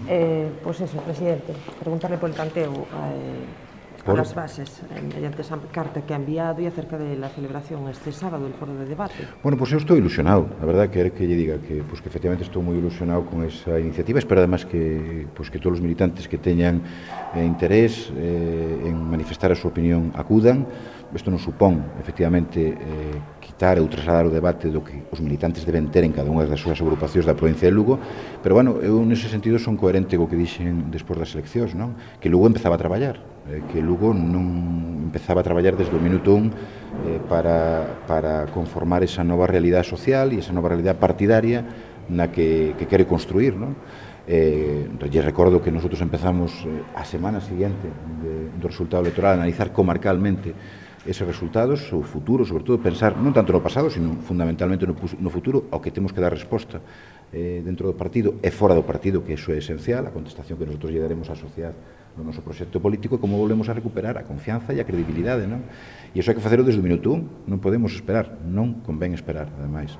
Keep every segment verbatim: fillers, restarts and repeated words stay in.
Eh, pois pues eso, presidente, preguntarle polo tanteo eh, por as bases eh, mediante esa carta que ha enviado e acerca de la celebración este sábado del foro de debate. Bueno, pois pues eu estou ilusionado, a verdade que é que lle diga que, pues, que efectivamente estou moi ilusionado con esa iniciativa. Espero además que, pues, que todos os militantes que teñan eh, interés eh, en manifestar a súa opinión acudan. Isto non supón, efectivamente, eh, quitar ou trasladar o debate do que os militantes deben ter en cada unha das súas agrupacións da provincia de Lugo, pero, bueno, eu nese sentido son coherente co que dixen despois das eleccións, non? Que Lugo empezaba a traballar, eh, que Lugo non empezaba a traballar desde o minuto un eh, para, para conformar esa nova realidade social e esa nova realidade partidaria na que, que quere construir, non? Eh, lle recordo que nosotros empezamos eh, a semana siguiente de, do resultado electoral a analizar comarcalmente eses resultados, o futuro, sobre todo pensar non tanto no pasado, sino fundamentalmente no, no futuro, ao que temos que dar resposta eh, dentro do partido e fora do partido, que iso é esencial, a contestación que nosotros lle daremos á sociedade no noso proxecto político, e como volvemos a recuperar a confianza e a credibilidade, non? E iso hai que facelo desde o minuto un, non podemos esperar, non convén esperar, ademais.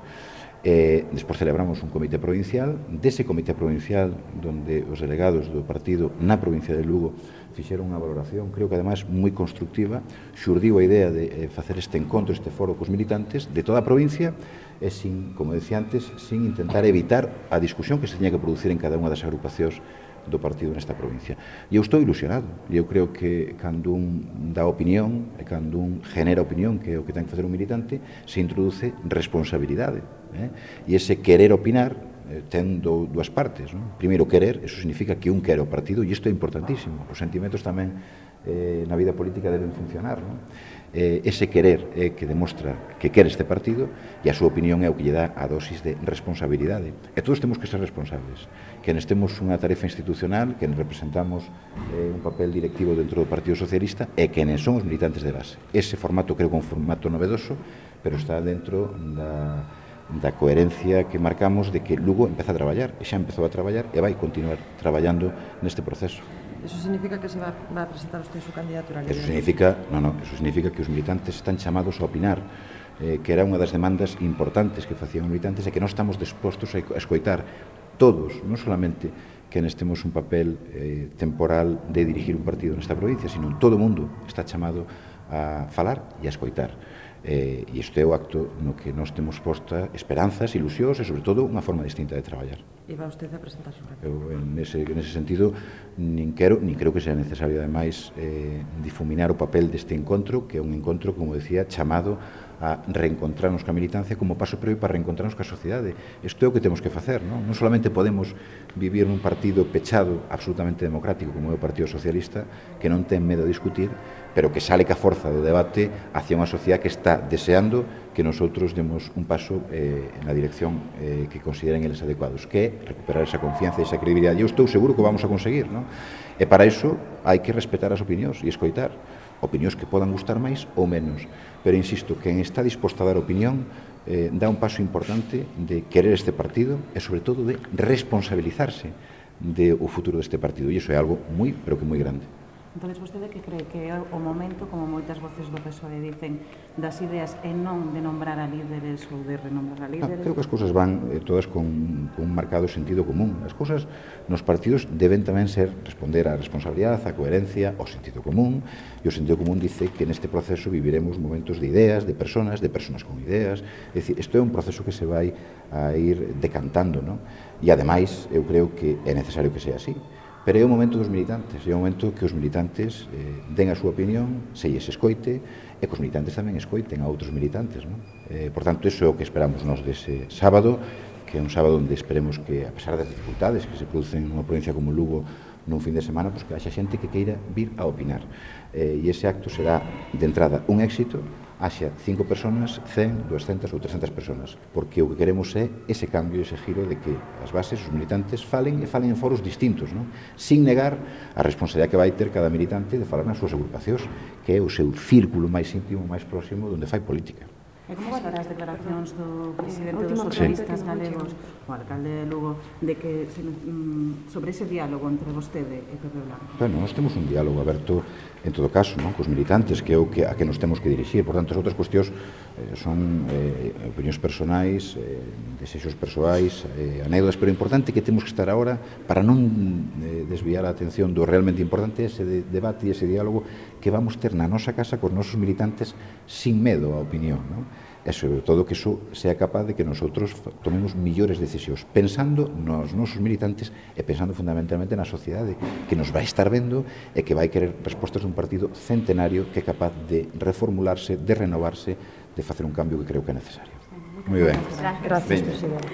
Eh, despois celebramos un comité provincial, dese comité provincial donde os delegados do partido na provincia de Lugo fixeron unha valoración, creo que ademais moi constructiva, xurdiu a idea de eh, facer este encontro, este foro cos militantes de toda a provincia e, sin, como decía antes, sin intentar evitar a discusión que se teña que producir en cada unha das agrupacións do partido nesta provincia. E eu estou ilusionado, e eu creo que cando un dá opinión e cando un genera opinión, que é o que ten que facer un militante, se introduce responsabilidade. Eh? E ese querer opinar eh, ten do, dúas partes. Non? Primeiro, querer, eso significa que un quere o partido, e isto é importantísimo. Os sentimentos tamén eh, na vida política deben funcionar. Non? Eh, ese querer é que demostra que quere este partido, e a súa opinión é o que lle dá a dosis de responsabilidade. E todos temos que ser responsables. Quenes temos unha tarefa institucional, quenes representamos eh, un papel directivo dentro do Partido Socialista, e quenes son os militantes de base. Ese formato creo que é un formato novedoso, pero está dentro da, da coherencia que marcamos de que Lugo empeza a traballar, e xa empezou a traballar e vai continuar traballando neste proceso. Eso significa que se va, va a presentar usted su candidatura? Eso significa, no, no, eso significa que os militantes están chamados a opinar, eh, que era unha das demandas importantes que facían os militantes e que non estamos dispostos a escoitar todos, non solamente que nestemos un papel eh, temporal de dirigir un partido nesta provincia, sino todo o mundo está chamado a falar e a escoitar. Eh, e isto é o acto no que nós temos posta esperanzas, ilusións e, sobre todo, unha forma distinta de traballar. E va usted a presentar su candidatura? Eu, en ese, en ese sentido, nin quero, nin creo que sea necesario, ademais, eh, difuminar o papel deste encontro, que é un encontro, como decía, chamado a reencontrarnos ca militancia como paso previo para reencontrarnos ca sociedade. Isto é o que temos que facer, non? Non solamente podemos vivir nun partido pechado, absolutamente democrático, como é o Partido Socialista, que non ten medo a discutir, pero que sale ca forza do debate hacia unha sociedade que está deseando que nosotros demos un paso eh, na dirección eh, que consideren eles adecuados, que é recuperar esa confianza e esa credibilidade. Eu estou seguro que o vamos a conseguir, non? E para iso hai que respetar as opinións e escoitar opinións que podan gustar máis ou menos. Pero, insisto, quen está disposto a dar opinión eh, dá un paso importante de querer este partido e, sobre todo, de responsabilizarse do futuro deste partido. E iso é algo moi, pero que moi grande. Entón, vostede que cree que é o momento, como moitas voces do P S O E dicen, das ideas e non de nombrar a líderes ou de renombrar a líderes? Ah, creo que as cousas van eh, todas con, con un marcado sentido común. As cousas nos partidos deben tamén ser responder á responsabilidade, á coherencia, ao sentido común, e o sentido común dice que neste proceso viviremos momentos de ideas, de personas, de personas con ideas. É dicir, isto é un proceso que se vai a ir decantando, non? E, ademais, eu creo que é necesario que sea así. Pero é o momento dos militantes, é o momento que os militantes eh, den a súa opinión, se lles escoite, e que os militantes tamén escoiten a outros militantes, non? Eh, por tanto, iso é o que esperamos nós dese sábado, que é un sábado onde esperemos que, a pesar das dificultades que se producen nunha provincia como Lugo nun fin de semana, pues que haxa xente que queira vir a opinar. Eh, e ese acto será, de entrada, un éxito, haxa cinco personas, cen, duascentas ou trescentas personas, porque o que queremos é ese cambio, ese giro de que as bases, os militantes, falen e falen en foros distintos, non? Sin negar a responsabilidade que vai ter cada militante de falar nas súas agrupacións, que é o seu círculo máis íntimo, máis próximo, onde fai política. E como valora as declaracións do presidente Eh, dos última socialistas pregunta que non galegos, o alcalde de Lugo, de que se, mm, sobre ese diálogo entre vostede e Pepe Blanco? Bueno, nós temos un diálogo aberto en todo caso, non? Cos militantes, que é o que a que nos temos que dirixir. Por tanto, as outras cuestións eh, son eh, opinións personais, eh, desexos persoais, eh, anécdotas, pero é importante que temos que estar agora para non eh, desviar a atención do realmente importante ese de, debate e ese diálogo que vamos ter na nosa casa cos nosos militantes sin medo á opinión, non? E sobre todo que iso sea capaz de que nosotros tomemos millores decisións pensando nos nosos militantes e pensando fundamentalmente na sociedade que nos vai estar vendo e que vai querer respostas dun partido centenario que é capaz de reformularse, de renovarse, de facer un cambio que creo que é necesario. Moi ben. Gracias, presidente.